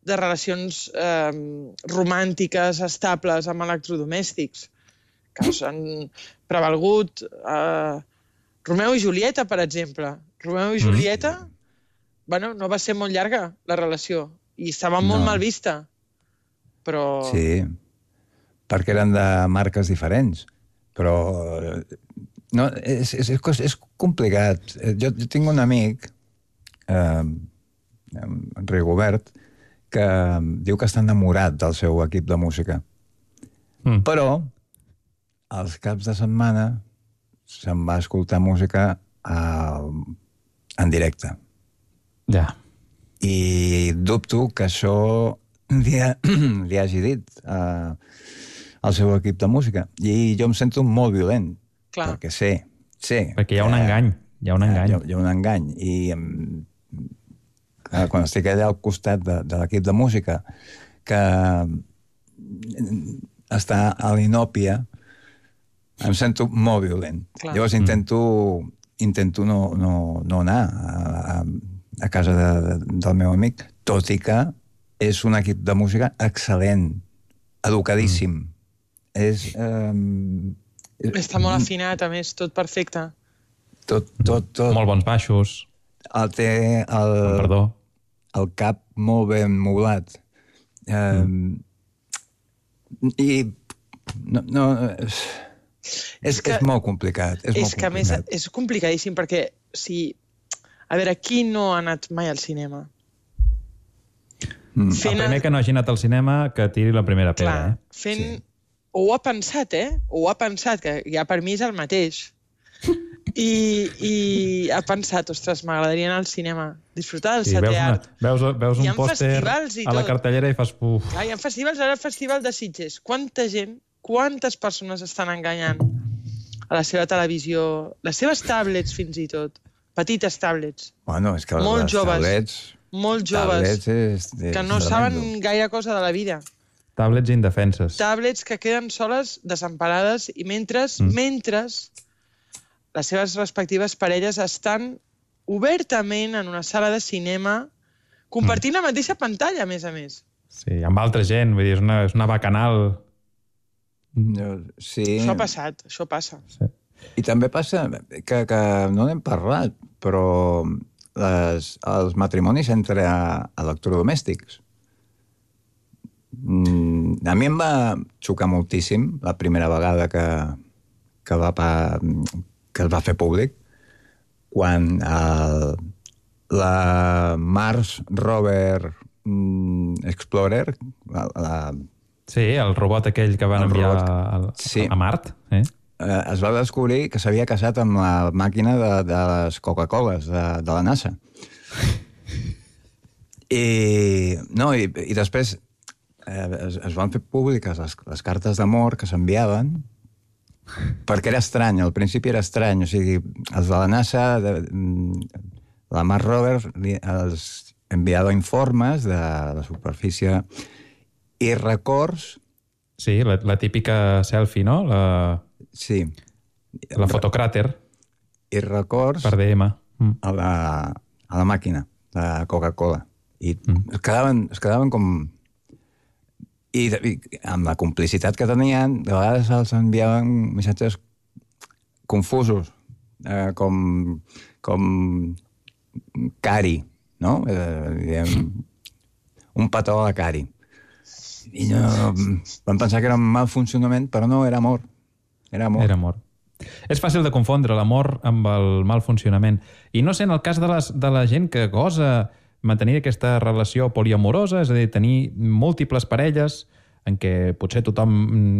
de relacions eh, romàntiques, estables, amb electrodomèstics, que s'han prevalgut. Eh, Romeu i Julieta, per exemple. Romeu i Julieta... Mm. Bueno, no va ser molt llarga, la relació, i estava molt no. mal vista, però... Sí, perquè eren de marques diferents, però... No, és, és, és complicat. Jo, jo tinc un amic, eh, en Rigobert, que diu que està enamorat del seu equip de música. Mm. Però, als caps de setmana, se'n va escoltar música a, en directe. Ja. I dubto que això li, ha, li hagi dit uh, al seu equip de música. I jo em sento molt violent. Clar. Perquè sé, sé... Perquè hi ha un uh, engany. Hi ha un engany. Hi ha, hi ha un engany. I um, uh, quan estic allà al costat de, de l'equip de música, que està a l'Inòpia, em sento molt violent. Clar. Llavors intento, intento no, no, no anar a... a a casa de, de, del meu amic, tot i que és un equip de música excel·lent, educadíssim. Mm. És, um, Està molt afinat, a més, tot perfecte. Tot, tot, tot. Molt bons baixos. El té el, Perdó. el cap molt ben moblat. Um, mm. I no, no, és, és, que, és molt complicat. És, és molt que, complicat. a més, és complicadíssim perquè si... A veure, qui no ha anat mai al cinema? Mm. El primer que no hagi anat al cinema, que tiri la primera pedra. Clar, eh? fent... Sí. O ho ha pensat, eh? O ho ha pensat, que ja per mi és el mateix. I, i ha pensat, ostres, m'agradaria anar al cinema, disfrutar del sí, setè art. Veus, veus un pòster a la cartellera i fas puf. Clar, hi ha festivals, ara el Festival de Sitges. Quanta gent, quantes persones estan enganyant a la seva televisió, les seves tablets fins i tot. Petites tablets. Bueno, és que molt les joves, tablets... Molt joves, tablets és, és que no saben gaire cosa de la vida. Tablets indefenses. Tablets que queden soles, desemparades, i mentre, mm. mentre les seves respectives parelles estan obertament en una sala de cinema compartint mm. la mateixa pantalla, a més a més. Sí, amb altra gent, vull dir, és una, és una bacanal. Sí. Això ha passat, això passa. Sí. I també passa que, que no n'hem parlat, però les, els matrimonis entre electrodomèstics. Mm, a mi em va xocar moltíssim la primera vegada que, que, va, que es va fer públic, quan el, la Mars Rover mm, Explorer, la, la, sí, el robot aquell que van enviar a, sí. a Mart, eh? es va descobrir que s'havia casat amb la màquina de, de les Coca-Coles de, de la NASA. I, no, i, i després eh, es, es van fer públiques les, les cartes d'amor que s'enviaven, perquè era estrany, al principi era estrany, o sigui, els de la NASA, de, la Mars Rover, els enviava informes de la superfície i records... Sí, la, la típica selfie, no? La... Sí. La fotocràter. I records... Per D M. Mm. A, la, a la màquina de Coca-Cola. I mm. es, quedaven, es quedaven com... I, I amb la complicitat que tenien, de vegades els enviaven missatges confusos, eh, com, com cari, no? Eh, diguem, un petó a la cari. I no, vam pensar que era un mal funcionament, però no, era amor. Era amor. Era amor. És fàcil de confondre l'amor amb el mal funcionament. I no sé, en el cas de, les, de la gent que gosa mantenir aquesta relació poliamorosa, és a dir, tenir múltiples parelles en què potser tothom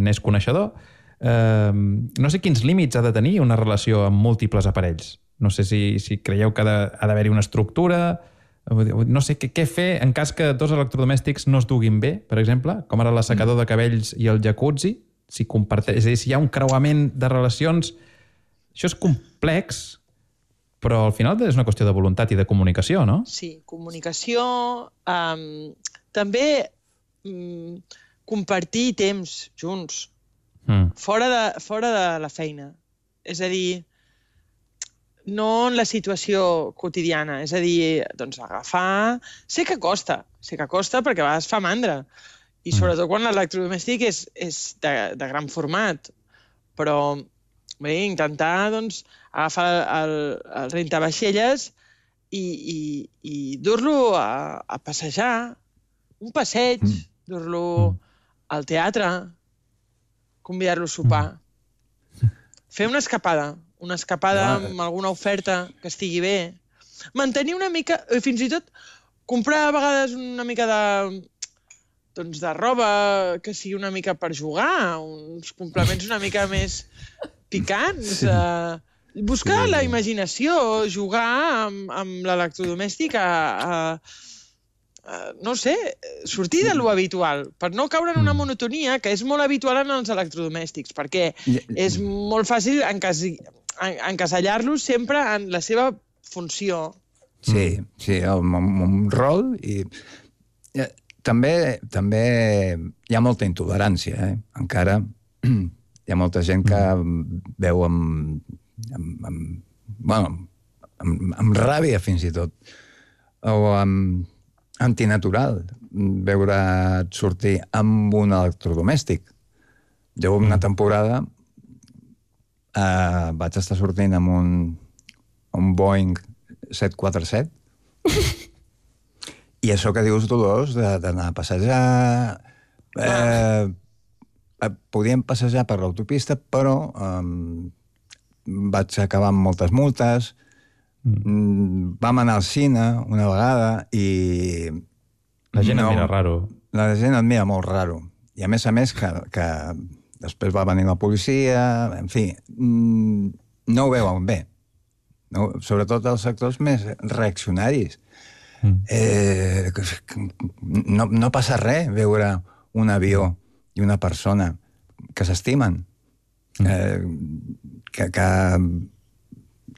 n'és coneixedor, eh, no sé quins límits ha de tenir una relació amb múltiples aparells. No sé si, si creieu que ha de, ha d'haver-hi una estructura, no sé què, què fer en cas que dos electrodomèstics no es duguin bé, per exemple, com ara l'assecador de cabells i el jacuzzi, si comparteix, és a dir, si hi ha un creuament de relacions, això és complex, però al final és una qüestió de voluntat i de comunicació, no? Sí, comunicació, um, també um, compartir temps junts, mm. fora, de, fora de la feina. És a dir, no en la situació quotidiana, és a dir, doncs agafar... Sé que costa, sé que costa perquè a vegades fa mandra, i sobretot quan l'electrodomèstic és, és de, de gran format, però bé, intentar doncs, agafar el, el rentavaixelles i, i, i dur-lo a, a passejar, un passeig, mm. dur-lo al teatre, convidar-lo a sopar, fer una escapada, una escapada ah. amb alguna oferta que estigui bé, mantenir una mica, fins i tot comprar a vegades una mica de... doncs de roba que sigui una mica per jugar, uns complements una mica més picants. Sí. Uh, buscar sí. la imaginació, jugar amb, amb l'electrodomèstic a, a, a, no sé, sortir de lo habitual, per no caure en una monotonia que és molt habitual en els electrodomèstics, perquè és molt fàcil encasi, en, encasellar-los sempre en la seva funció. Sí, sí, amb un rol i... També, també hi ha molta intolerància, eh? Encara hi ha molta gent que veu amb, amb, amb, bueno, amb, amb ràbia fins i tot, o amb antinatural, veure sortir amb un electrodomèstic. Jo una temporada eh, vaig estar sortint amb un, un Boeing set quatre set i això que dius, Dolors, d'anar a passejar... Eh, podíem passejar per l'autopista, però eh, vaig acabar amb moltes multes. Mm. Vam anar al cine una vegada i... La gent no, et mira raro. La gent et mira molt raro. I a més a més que, que després va venir la policia... En fi, no ho veuen bé. No? Sobretot els sectors més reaccionaris. Eh, no, no passa res veure un avió i una persona que s'estimen, eh, que, que,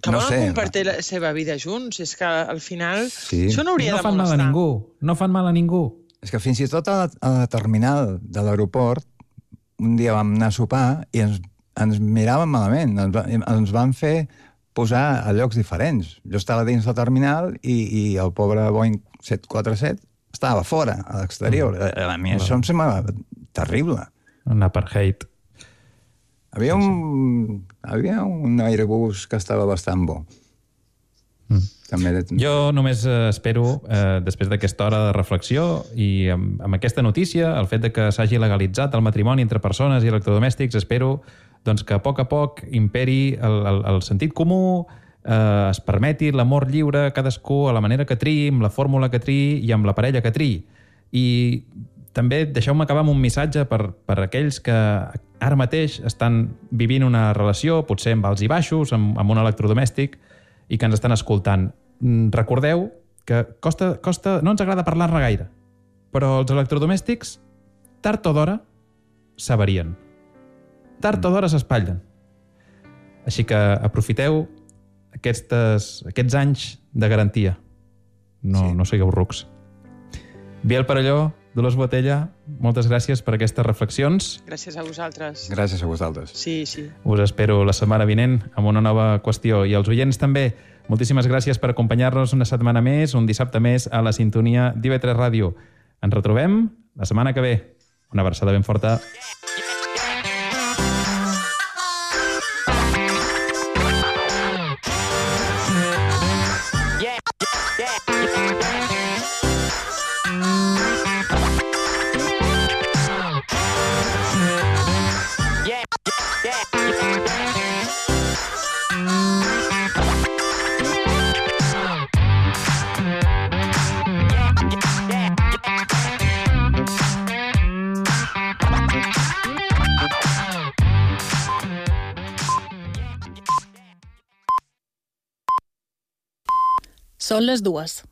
que no volen sé, compartir la seva vida junts. És que al final sí. això no hauria no de molestar. No fan mal a ningú. No fan mal a ningú. És que fins i tot a la, a la terminal de l'aeroport un dia vam anar a sopar i ens, ens miràvem malament. Ens, ens van fer posar a llocs diferents. Jo estava dins la terminal i, i el pobre Boeing set quatre set estava fora, a l'exterior. Mm. A mi això em sembla terrible. Un apartheid. Havia un, havia un Airbus que estava bastant bo. Mm. També... Jo només espero, eh, després d'aquesta hora de reflexió i amb, amb aquesta notícia, el fet de que s'hagi legalitzat el matrimoni entre persones i electrodomèstics, espero doncs, que a poc a poc imperi el, el, el sentit comú, eh, es permeti l'amor lliure, cadascú a la manera que triï, amb la fórmula que triï i amb la parella que triï. I també deixeu-me acabar amb un missatge per, per aquells que ara mateix estan vivint una relació, potser amb alts i baixos, amb, amb un electrodomèstic, i que ens estan escoltant. Recordeu que costa, costa, no ens agrada parlar-ne gaire, però els electrodomèstics, tard o d'hora, s'avarien. Tard o d'hora s'espatllen. Així que aprofiteu aquestes, aquests anys de garantia. No, sí. no sigueu rucs. Biel Perelló, Dolors Botella, moltes gràcies per aquestes reflexions. Gràcies a vosaltres. Gràcies a vosaltres. Sí, sí. Us espero la setmana vinent amb una nova qüestió. I als oients també, moltíssimes gràcies per acompanyar-nos una setmana més, un dissabte més, a la sintonia d'I V tres Ràdio. Ens retrobem la setmana que ve. Una abraçada ben forta. Són les dues.